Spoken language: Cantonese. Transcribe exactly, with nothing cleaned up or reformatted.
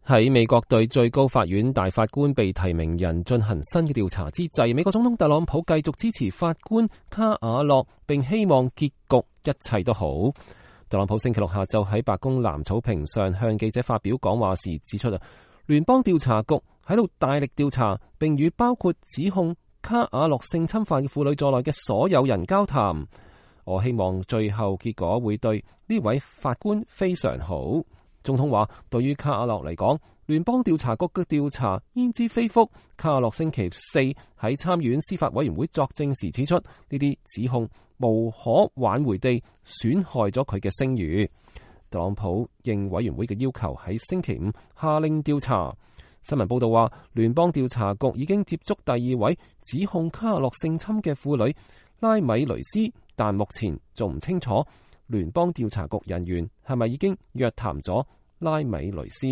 喺美國對最高法院大法官被提名人進行新嘅調查之際，美國總統特朗普繼續支持法官卡瓦諾，並希望結局一切都好。特朗普星期六下晝喺白宮藍草坪上向記者發表講話時指出啊，聯邦調查局喺度大力調查，並與包括指控卡瓦諾性侵犯嘅婦女在內嘅所有人交談。我希望最後結果會對呢位法官非常好。總統話，對於卡瓦諾嚟講，聯邦調查局嘅調查焉知非福。卡瓦諾星期四喺參議院司法委員會作證時指出，呢啲指控無可挽回地損害咗佢嘅聲譽。特朗普應委員會嘅要求喺星期五下令調查。新聞報道話，聯邦調查局已經接觸第二位指控卡瓦諾性侵嘅婦女拉米雷斯，但目前仲唔清楚聯邦調查局人員係咪已經約談咗拉米雷斯。